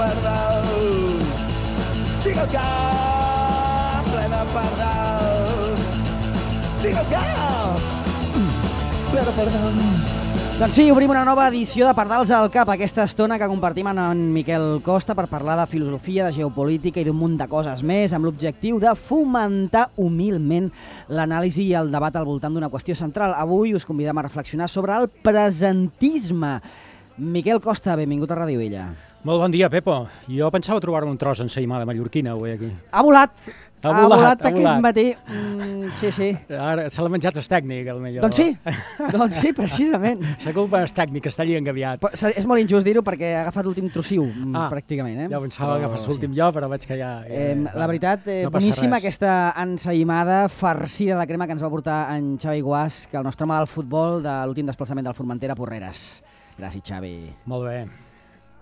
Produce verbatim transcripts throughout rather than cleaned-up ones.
pardals. Tinc el cap ple de pardals. Tinc el cap ple de pardals. Doncs sí, obrim una nova edició de Pardals al Cap, aquesta estona que compartim amb en Miquel Costa per parlar de filosofia, de geopolítica i d'un munt de coses més, amb l'objectiu de fomentar humilment l'anàlisi i el debat al voltant d'una qüestió central. Avui us convidem a reflexionar sobre el presentisme. Miquel Costa, benvingut a Ràdio Vella. Molt bon dia, Pepo. Jo pensava trobar-me un tros ensaïmada mallorquina avui aquí. Ha volat! Ha Ha volat, volat ha aquest volat. matí. Mm, sí, sí. Ara se l'ha menjat el tècnic, el millor. Doncs sí, doncs sí, precisament. La culpa és tècnic, està allí engaviat. Però és molt injust dir-ho perquè ha agafat l'últim trossiu, mm, Ah, pràcticament. Eh? Ja pensava que agafés l'últim jo, però veig que ja... ja Eh, la veritat, eh, no passa boníssima res. aquesta ensaïmada farcida de crema que ens va portar en Xavi Guas, que el nostre home del futbol de l'últim desplaçament del Formentera a Porreres. Gràcies, Xavi. Molt bé.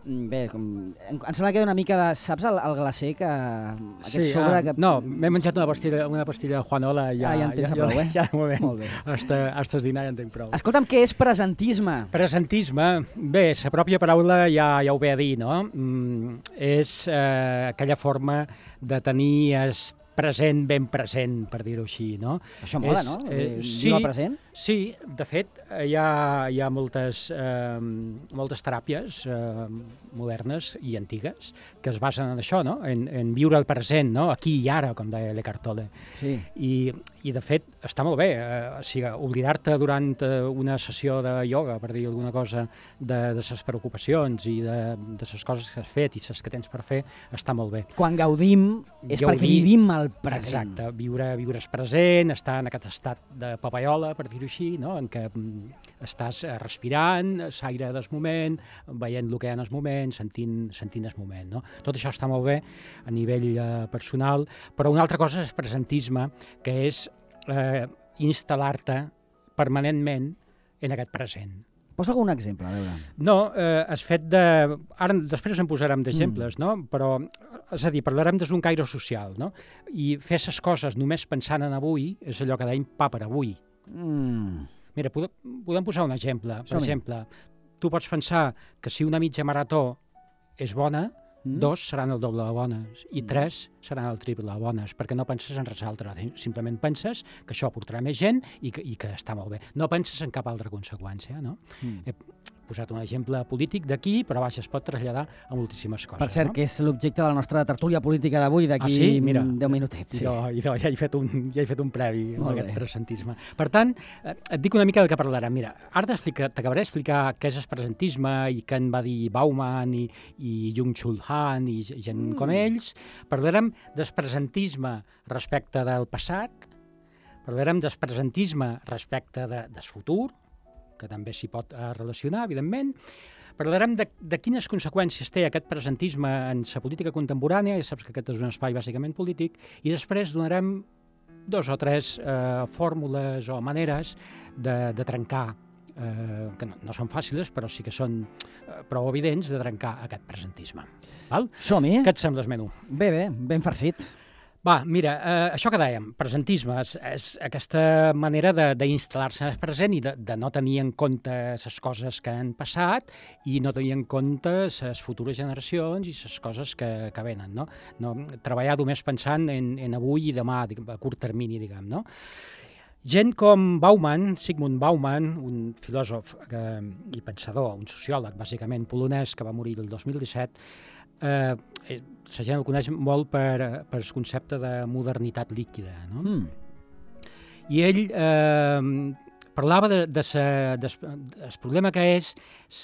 Mm, Bé, com... em em sembla que una mica de... Saps el, el glacé que... Aquest Sí, sobre ah, que... no, m'he menjat una pastilla, una pastilla Juanola i ja... Ah, ja en tens a prou, eh? Ja, ja, ja, Molt bé. hasta, hasta el dinar ja en tinc prou. Escolta'm, què és presentisme? Presentisme, bé, la pròpia paraula ja, ja ho ve a dir, no? Mm, és eh, aquella forma de tenir es present ben present, per dir-ho així, no? Això mola, És, no? Eh, Eh, sí, Viva present? sí, de fet, eh, hi ha, hi ha moltes, eh, moltes teràpies eh, modernes i antigues que es basen en això, no? En, en viure el present, no? Aquí i ara, com deia l'Eckhart Tolle. Sí. I, I, de fet, està molt bé. Eh, o sigui, oblidar-te durant eh, una sessió de ioga, per dir alguna cosa, de, de ses preocupacions i de, de ses coses que has fet i ses que tens per fer, està molt bé. Quan gaudim és Gaudir, perquè vivim el present. Exacte, viure, viure és present, estar en aquest estat de papaiola, per dir-ho així, no? En què mm, estàs eh, respirant, l'aire del moment, veient el que hi ha en el moment, sentint, sentint el moment. No? Tot això està molt bé a nivell eh, personal, però una altra cosa és presentisme, que és eh, instal·lar-te permanentment en aquest present. Posa algun exemple, a veure. No, eh, has fet de... Ara després en posarem d'exemples, mm. no? Però, és a dir, parlarem d'un caire social, no? I fer les coses només pensant en avui és allò que dèiem pa per avui. Mm. Mira, podem, podem posar un exemple. Per Som-hi. exemple, tu pots pensar que si una mitja marató és bona, Mm. dos seran el doble de bones i tres seran el triple de bones, perquè no penses en res altre, simplement penses que això portarà més gent i que, i que està molt bé. No penses en cap altra conseqüència, no? Mm. He posat un exemple polític d'aquí, però vaja, es pot traslladar a moltíssimes coses. Per cert, no? que és l'objecte de la nostra tertúlia política d'avui, d'aquí Ah, sí? Mira. deu minutets. Sí. Idò, idò, ja, he fet un, ja he fet un previ amb Molt aquest bé. presentisme. Per tant, eh, et dic una mica del que parlarem. Mira, ara t'acabaré d'explicar què és el presentisme i què en va dir Bauman i, i Jung-Chul Han i gent mm. com ells. Parlarem del presentisme respecte del passat, parlarem del presentisme respecte de, del futur, que també s'hi pot eh, relacionar, evidentment. Parlarem de, de quines conseqüències té aquest presentisme en la política contemporània, ja saps que aquest és un espai bàsicament polític, i després donarem dos o tres eh, fórmules o maneres de, de trencar, eh, que no, no són fàcils, però sí que són eh, prou evidents, de trencar aquest presentisme. Val? Som-hi. Què et sembla el menú? Bé, bé, ben farcit. Va, mira, eh, això que dèiem, presentisme, és, és aquesta manera d'instal·lar-se en el present i de, de no tenir en compte les coses que han passat i no tenir en compte les futures generacions i les coses que, que venen, no? no? Treballar només pensant en, en avui i demà, a curt termini, diguem, no? Gent com Bauman, Zygmunt Bauman, un filòsof eh, i pensador, un sociòleg, bàsicament polonès, que va morir el dos mil disset, eh, la gent el coneix molt per, per el concepte de modernitat líquida, no? Mm. I ell eh, parlava de, de sa, de, del problema que és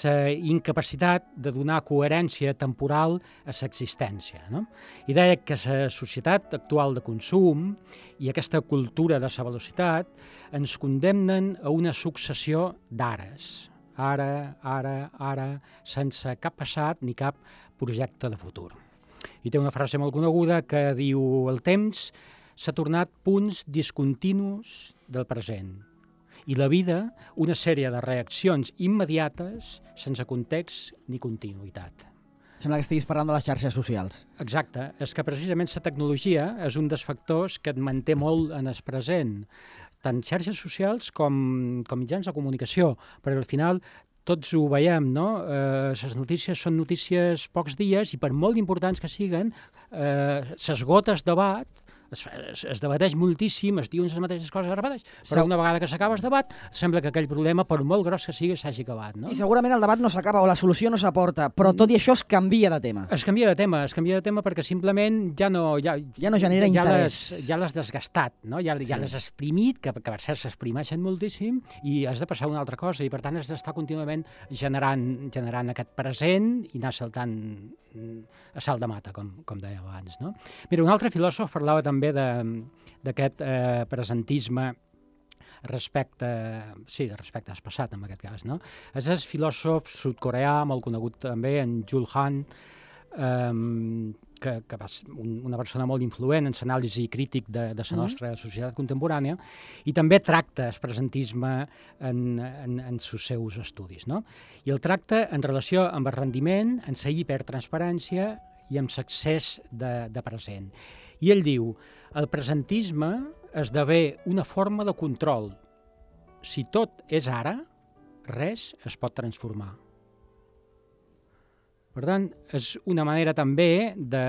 la incapacitat de donar coherència temporal a l'existència, no? I deia que la societat actual de consum i aquesta cultura de la velocitat ens condemnen a una successió d'ares. Ara, ara, ara, sense cap passat ni cap projecte de futur. I té una frase molt coneguda que diu: el temps s'ha tornat punts discontinus del present i la vida una sèrie de reaccions immediates sense context ni continuïtat. Sembla que estiguis parlant de les xarxes socials. Exacte, és que precisament la tecnologia és un dels factors que et manté molt en el present, tant xarxes socials com, com mitjans de comunicació, perquè al final tots ho veiem, no? Eh, les notícies són notícies pocs dies i per molt importants que siguen, eh, s'esgota el debat, es, es, es debateix moltíssim, es diuen les mateixes coses, es repeteix, però una vegada que s'acaba el debat, sembla que aquell problema, per molt gros que sigui, s'hagi acabat. No? I segurament el debat no s'acaba o la solució no s'aporta, però tot i això es canvia de tema. Es canvia de tema, es canvia de tema perquè simplement ja no... Ja, ja no genera ja interès. Les, ja l'has desgastat, no? ja, ja l'has exprimit, que, que per cert s'exprimeixen moltíssim, i has de passar a una altra cosa, i per tant has d'estar contínuament generant, generant aquest present i anar saltant a salt de mata, com, com deia abans. No? Mira, un altre filòsof parlava també d'aquest eh, presentisme respecte, sí, de respecte al passat, en aquest cas. No? És el filòsof sud-coreà, molt conegut també, en Jules Han, eh, que, que va ser una persona molt influent en l'anàlisi crític de, de la nostra mm. societat contemporània, i també tracta el presentisme en, en, en els seus estudis. No? I el tracta en relació amb el rendiment, amb la hipertransparència i amb l'accés de, de present. I ell diu, el presentisme esdevé una forma de control. Si tot és ara, res es pot transformar. Per tant, és una manera també de,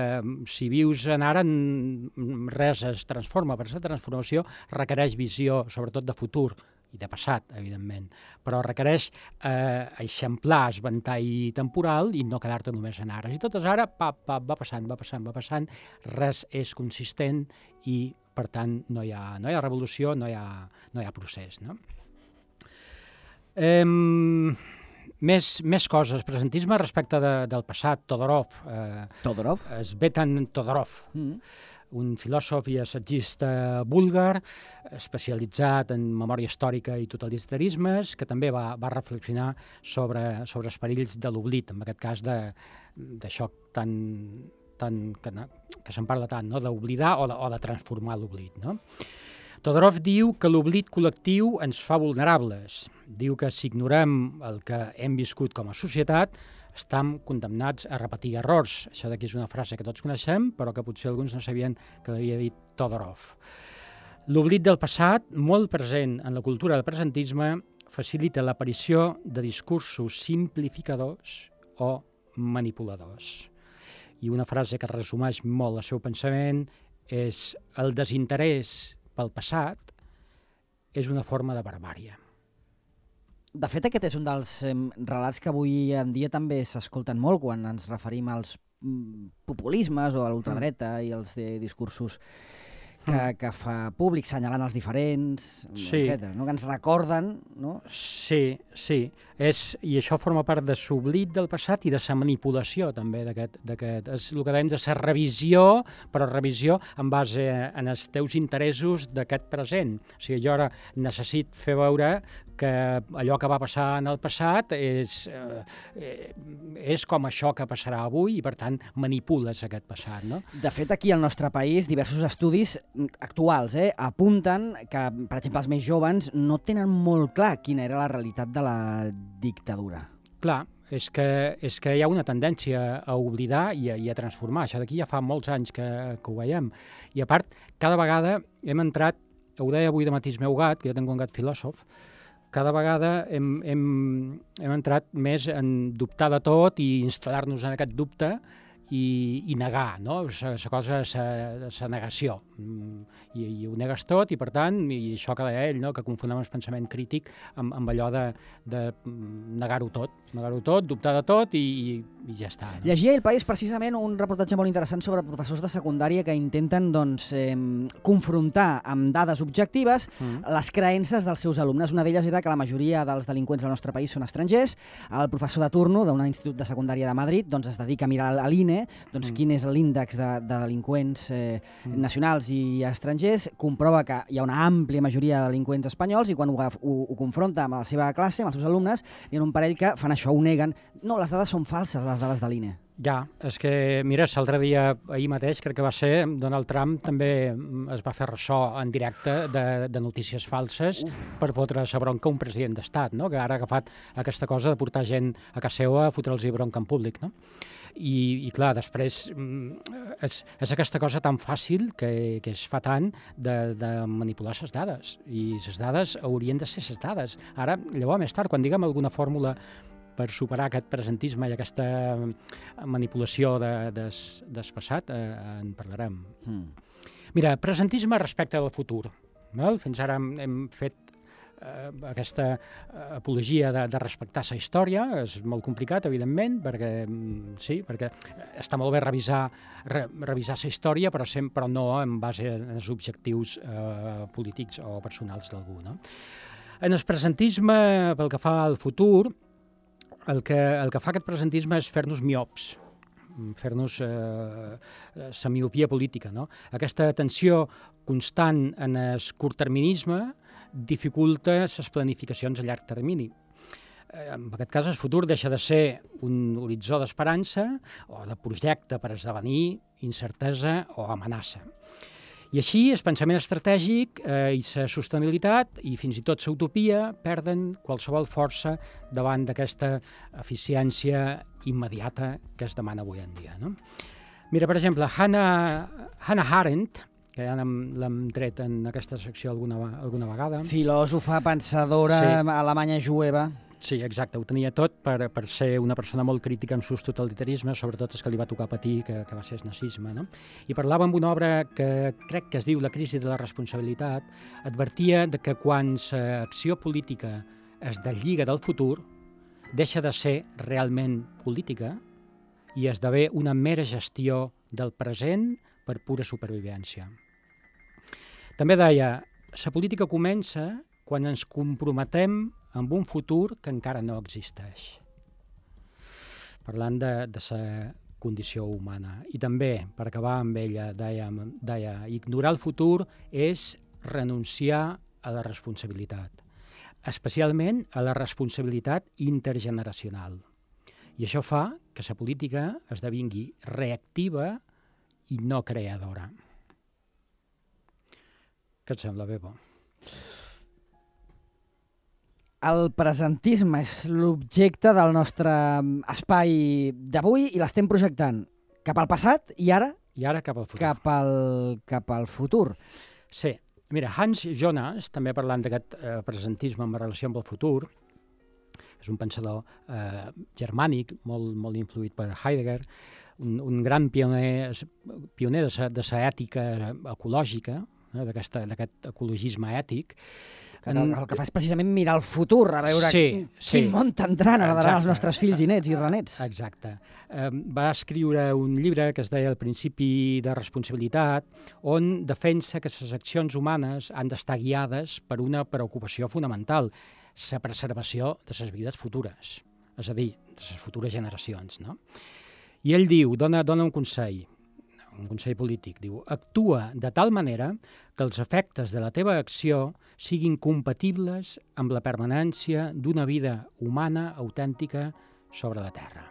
si vius en ara, res es transforma, però la transformació requereix visió, sobretot de futur, i de passat, evidentment, però requereix eh, eixamplar el ventall temporal i no quedar-te només en ara. Si tot és ara, pap, pap, va passant, va passant, va passant, res és consistent i, per tant, no hi ha, no hi ha revolució, no hi ha, no hi ha procés. No? Eh, més, més coses. Presentisme respecte de, del passat. Todorov. Eh, Todorov? Svetan Todorov. Mm. Un filòsof i assagista búlgar, especialitzat en memòria històrica i totalitarismes, que també va, va reflexionar sobre, sobre els perills de l'oblit, en aquest cas d'això tan, tan, que, que se'n parla tant, no? D'oblidar o, de, o de transformar l'oblit. No? Todorov diu que l'oblit col·lectiu ens fa vulnerables. Diu que si ignorem el que hem viscut com a societat, estem condemnats a repetir errors. Això d'aquí és una frase que tots coneixem, però que potser alguns no sabien que l'havia dit Todorov. L'oblit del passat, molt present en la cultura del presentisme, facilita l'aparició de discursos simplificadors o manipuladors. I una frase que resumeix molt el seu pensament és: el desinterès pel passat és una forma de barbària. De fet, aquest és un dels eh, relats que avui en dia també s'escolten molt quan ens referim als mm, populismes o a l'ultradreta mm. i els de discursos que, mm. que fa públic, senyalant els diferents, sí. etcètera. No? Que ens recorden... No? Sí, sí. És, i això forma part de l'oblit del passat i de la manipulació també d'aquest. És el que dèiem de la revisió, però revisió en base en els teus interessos d'aquest present. O sigui, jo ara necessito fer veure que allò que va passar en el passat és, eh, és com això que passarà avui i, per tant, manipules aquest passat. No? De fet, aquí al nostre país, diversos estudis actuals eh, apunten que, per exemple, els més joves no tenen molt clar quina era la realitat de la dictadura. Clar, és que, és que hi ha una tendència a oblidar i a, i a transformar. Això d'aquí ja fa molts anys que, que ho veiem. I a part, cada vegada hem entrat, ho deia avui de matí el meu gat, que jo tinc un gat filòsof, cada vegada hem, hem, hem entrat més en dubtar de tot i instal·lar-nos en aquest dubte i, i negar, no? La cosa és la negació. I, I ho negues tot i, per tant, i això que deia ell, no? Que confonem el pensament crític amb, amb allò de, de negar-ho tot, negar-ho tot, dubtar de tot i, i, i ja està. No? Llegia El País precisament un reportatge molt interessant sobre professors de secundària que intenten doncs, eh, confrontar amb dades objectives mm. les creences dels seus alumnes. Una d'elles era que la majoria dels delinqüents del nostre país són estrangers. El professor de turno d'un institut de secundària de Madrid doncs, es dedica a mirar a l'I N E doncs, mm. quin és l'índex de, de delinqüents eh, mm. nacionals i estrangers, comprova que hi ha una àmplia majoria de delinqüents espanyols i quan ho, ho, ho confronta amb la seva classe, amb els seus alumnes, hi ha un parell que fan això, ho neguen. No, les dades són falses, les dades de l'I N E. Ja, és que, mira, l'altre dia, ahir mateix, crec que va ser, Donald Trump també es va fer ressò en directe de, de notícies falses Uf. per fotre la bronca a un president d'estat, no? Que ara ha agafat aquesta cosa de portar gent a casa seva a fotre'ls bronca en públic, no? I, i clar, després és, és aquesta cosa tan fàcil que, que es fa tant de, de manipular les dades, i les dades haurien de ser les dades. Ara, llavors, més tard, quan diguem alguna fórmula per superar aquest presentisme i aquesta manipulació de, des, del passat, eh, en parlarem. Mm. Mira, presentisme respecte del futur. Val? Fins ara hem, hem fet eh, aquesta apologia de, de respectar la història. És molt complicat, evidentment, perquè sí, perquè està molt bé revisar, re, revisar la història, però, sempre, però no en base als objectius eh, polítics o personals d'algú. No? En el presentisme, pel que fa al futur, el que, el que fa aquest presentisme és fer-nos miops, fer-nos eh, la miopia política. No? Aquesta atenció constant en el curtterminisme dificulta les planificacions a llarg termini. Eh, en aquest cas, el futur deixa de ser un horitzó d'esperança o de projecte per esdevenir incertesa o amenaça. I així el pensament estratègic eh, i la sostenibilitat i fins i tot la utopia perden qualsevol força davant d'aquesta eficiència immediata que es demana avui en dia. No? Mira, per exemple, Hannah, Hannah Arendt, que ja l'hem tret en aquesta secció alguna, alguna vegada. Filòsofa, pensadora, sí. Alemanya jueva. Sí, exacte, ho tenia tot per, per ser una persona molt crítica amb sus totalitarismes, sobretot el que li va tocar patir, que, que va ser el nazisme. No? I parlava amb una obra que crec que es diu La crisi de la responsabilitat, advertia de que quan l'acció política es deslliga del futur, deixa de ser realment política i esdevé una mera gestió del present per pura supervivència. També deia, la política comença quan ens comprometem amb un futur que encara no existeix. Parlant de, de la condició humana. I també, per acabar amb ella, deia, deia, ignorar el futur és renunciar a la responsabilitat, especialment a la responsabilitat intergeneracional. I això fa que la política esdevingui reactiva i no creadora. Què et sembla, Bebo? El presentisme és l'objecte del nostre espai d'avui i l'estem projectant cap al passat i ara, I ara cap al futur. Cap al, cap al futur. Sí. Mira, Hans Jonas, també parlant d'aquest eh, presentisme en relació amb el futur, és un pensador eh, germànic, molt, molt influït per Heidegger, un, un gran pioner, pioner de la ètica ecològica, eh, d'aquest ecologisme ètic. El, el que fa és precisament mirar el futur, a veure sí, quin, sí. quin món tindran heredaran els nostres fills i nets i renets. Exacte. Eh, va escriure un llibre que es deia El principi de responsabilitat, on defensa que les accions humanes han d'estar guiades per una preocupació fonamental, la preservació de les vides futures, és a dir, de les futures generacions. No? I ell diu, dona, dona un consell, un consell polític, diu, actua de tal manera que els efectes de la teva acció siguin compatibles amb la permanència d'una vida humana autèntica sobre la Terra.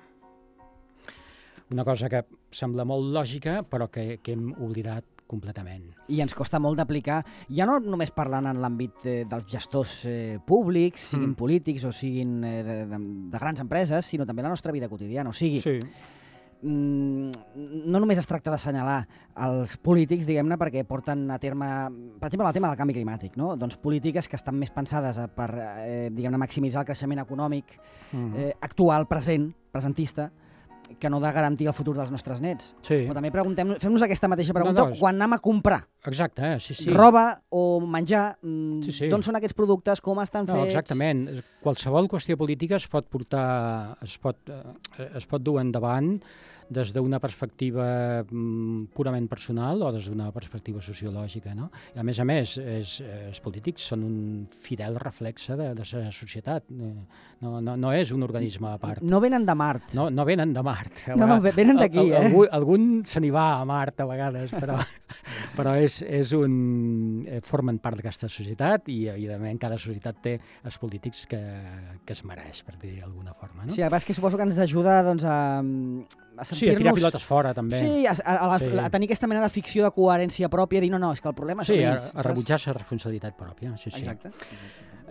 Una cosa que sembla molt lògica, però que, que hem oblidat completament. I ens costa molt d'aplicar, ja no només parlant en l'àmbit eh, dels gestors eh, públics, siguin mm. polítics o siguin eh, de, de, de grans empreses, sinó també la nostra vida quotidiana. O sigui, sí. no només es tracta d'assenyalar els polítics, diguem-ne, perquè porten a terme, per exemple, el tema del canvi climàtic, no? Doncs polítiques que estan més pensades per, eh, diguem-ne, maximitzar el creixement econòmic uh-huh. eh, actual, present, presentista, que no de garantir el futur dels nostres nets. Sí. Però també preguntem, fem-nos aquesta mateixa pregunta no, no, quan anem a comprar. Exacte, sí, sí. Roba o menjar, sí, sí. d'on són aquests productes, com estan no, fets... Exactament. Qualsevol qüestió política es pot portar, es pot, es pot dur endavant des d'una perspectiva purament personal o des d'una perspectiva sociològica. No? I a més a més, és, els polítics són un fidel reflexe de, de la societat. No, no, no és un organisme a part. No venen de Mart. No, no venen de Mart. No, no, venen d'aquí, eh? Algú, algun se n'hi va a Mart a vegades, però, però és, és un, formen part d'aquesta societat i, evidentment, cada societat té els polítics que, que es mereix, per dir d'alguna forma. No? Sí, a vegades que suposo que ens ajuda doncs, a, a sentir-nos... Sí, a tirar pilotes fora, també. Sí, a, a, a, sí. a tenir aquesta mena de ficció de coherència pròpia, dir no, no, és que el problema sí, són ells. Sí, a, a rebutjar la responsabilitat pròpia. Sí, sí. Exacte.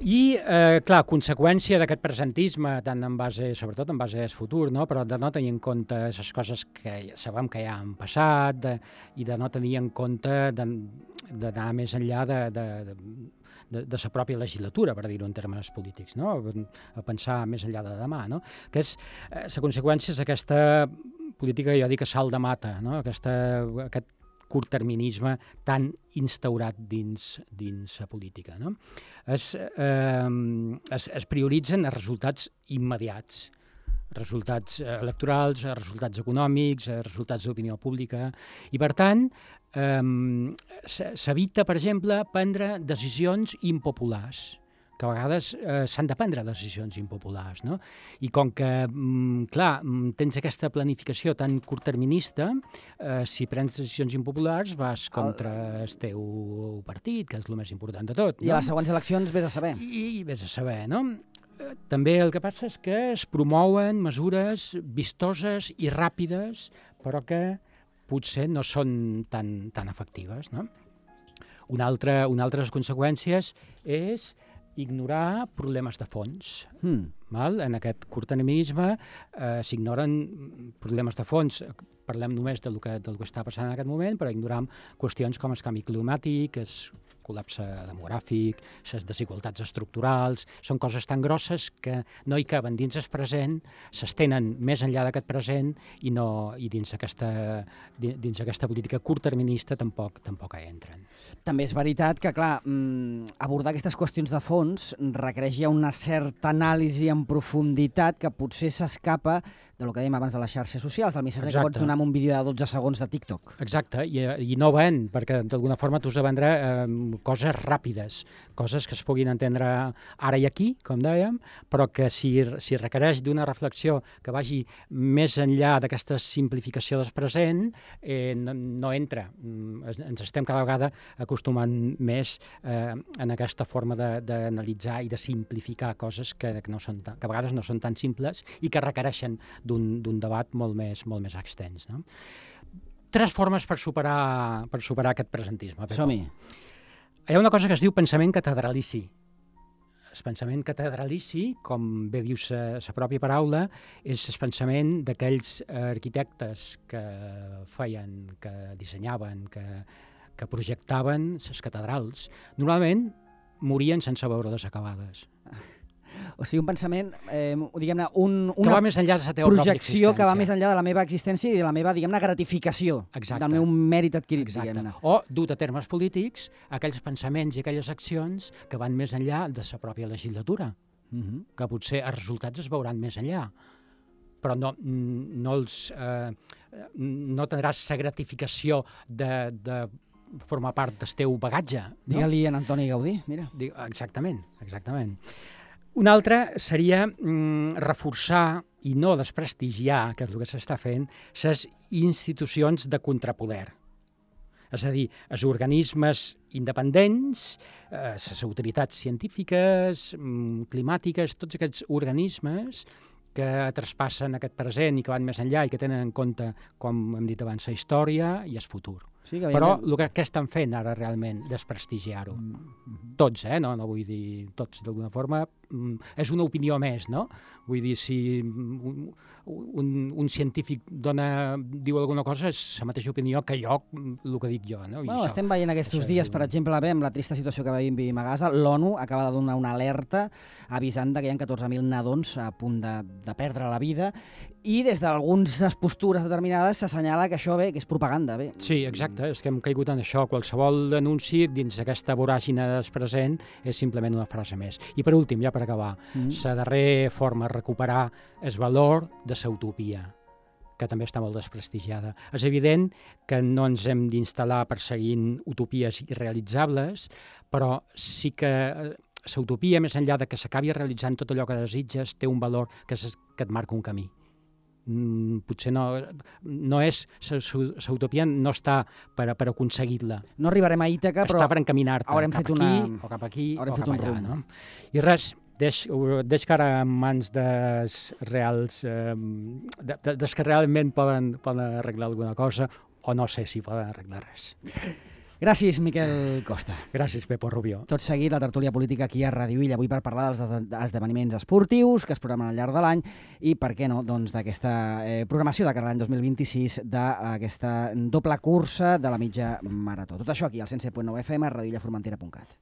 I, eh, clar, conseqüència d'aquest presentisme, tant en base, sobretot en base al futur, no? Però de no tenir en compte les coses que sabem que ja han passat de, i de no tenir en compte d'anar més enllà de, de, de, de, de sa pròpia legislatura, per dir-ho en termes polítics, no? A pensar més enllà de demà, no? Que és eh, la conseqüència d'aquesta política, jo dic, a salt de mata, no? Aquesta, aquest curtterminisme tan instaurat dins, dins la política, no? Es, eh, es, es prioritzen els resultats immediats, resultats electorals, resultats econòmics, resultats d'opinió pública, i per tant eh, s'evita, per exemple, prendre decisions impopulars, que a vegades eh, s'han de prendre decisions impopulars, no? I com que, mm, clar, tens aquesta planificació tan curtterminista, eh, si prens decisions impopulars vas contra el... el teu partit, que és el més important de tot. I no? A les següents eleccions vés a saber. I, i vés a saber, no? També el que passa és que es promouen mesures vistoses i ràpides, però que potser no són tan, tan efectives, no? Una altra, una altra de les conseqüències és ignorar problemes de fons. Mm. Val? En aquest curtterminisme eh, s'ignoren problemes de fons. Parlem només del que, del que està passant en aquest moment, però ignoram qüestions com el canvi climàtic, el col·lapse demogràfic, les desigualtats estructurals, són coses tan grosses que no hi caben dins el present, s'estenen més enllà d'aquest present i, no, i dins, aquesta, dins aquesta política curtterminista tampoc, tampoc hi entren. També és veritat que, clar, abordar aquestes qüestions de fons requereix ja una certa anàlisi en profunditat que potser s'escapa del que dèiem abans de les xarxes socials, del missatge Exacte. Que pots donar en un vídeo de dotze segons de TikTok. Exacte, i, i no ven, perquè d'alguna forma tu has de vendre eh, coses ràpides, coses que es puguin entendre ara i aquí, com dèiem, però que si, si requereix d'una reflexió que vagi més enllà d'aquesta simplificació del present, eh, no, no entra. Ens estem cada vegada acostumant més eh, en aquesta forma d'analitzar i de simplificar coses que, que, no són tan, que a vegades no són tan simples i que requereixen d'un debat molt més, molt més extens. No? Tres formes per superar, per superar aquest presentisme. Som-hi. Hi ha una cosa que es diu pensament catedralici. El pensament catedralici, com bé diu la pròpia paraula, és el pensament d'aquells arquitectes que feien, que dissenyaven, que, que projectaven les catedrals. Normalment morien sense veure-les acabades. O sigui, un pensament, eh, diguem-ne, un, una que va més enllà de la teva projecció que va més enllà de la meva existència i de la meva, diguem-ne, gratificació. Exacte. Del meu mèrit adquirit, diguem-ne. O, dut a termes polítics, aquells pensaments i aquelles accions que van més enllà de la pròpia legislatura, uh-huh. que potser els resultats es veuran més enllà, però no, no, els, eh, no tindràs la gratificació de, de formar part del teu bagatge. No? Digue-li a Antoni Gaudí, mira. Exactament, exactament. Una altra seria mm, reforçar i no desprestigiar, que és el que s'està fent, les institucions de contrapoder. És a dir, els organismes independents, eh, les autoritats científiques, mm, climàtiques, tots aquests organismes que traspassen aquest present i que van més enllà i que tenen en compte, com hem dit abans, la història i el futur. Sí, que però el que, que estan fent ara realment, desprestigiar-ho. Mm-hmm. Tots, eh? No, no vull dir tots d'alguna forma. Mm, és una opinió més, no? Vull dir, si un, un, un científic dona, diu alguna cosa, és la mateixa opinió que jo, el que dic jo. No? I bueno, això, estem veient aquests dies, per exemple, bé, amb la trista situació que vivim a Gaza, l'ONU acaba de donar una alerta avisant que hi ha catorze mil nadons a punt de, de perdre la vida i des d'algunes postures determinades s'assenyala que això bé, que és propaganda. Bé. Sí, exacte, és que hem caigut en això. Qualsevol anunci dins d'aquesta voràgine del present és simplement una frase més. I per últim, ja per acabar, mm. la darrera forma de recuperar el valor de la utopia, que també està molt desprestigiada. És evident que no ens hem d'instal·lar perseguint utopies irrealitzables, però sí que la utopia, més enllà de que s'acabi realitzant tot allò que desitges, té un valor que, és, que et marca un camí. Mm, potser no, no és, la utopia no està per, per aconseguir-la. No arribarem a Ítaca, però està per encaminar-te cap aquí, una... o cap aquí, haurem o cap allà. Un no? I res, deix, deix que ara en mans dels reals, eh, de, de, dels que realment poden, poden arreglar alguna cosa, o no sé si poden arreglar res. Gràcies, Miquel Costa. Gràcies, Pepo Rubió. Tot seguit, la tertúlia política aquí a Ràdio Illa, avui per parlar dels esdeveniments esportius que es programen al llarg de l'any i, per què no, doncs d'aquesta eh, programació de cara a l'any dos mil vint-i-sis d'aquesta doble cursa de la mitja marató. Tot això aquí al cent set punt nou F M, a radioillaformentera punt cat.